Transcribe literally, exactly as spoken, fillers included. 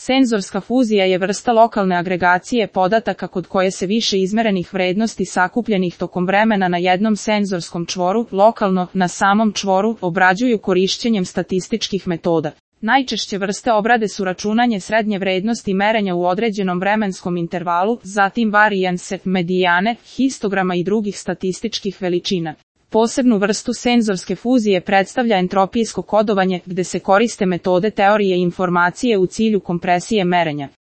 Senzorska fuzija je vrsta lokalne agregacije podataka kod koje se više izmerenih vrednosti sakupljenih tokom vremena na jednom senzorskom čvoru, lokalno, na samom čvoru, obrađuju korišćenjem statističkih metoda. Najčešće vrste obrade su računanje srednje vrednosti merenja u određenom vremenskom intervalu, zatim varijanse, medijane, histograma i drugih statističkih veličina. Posebnu vrstu senzorske fuzije predstavlja entropijsko kodovanje, gde se koriste metode teorije informacije u cilju kompresije merenja.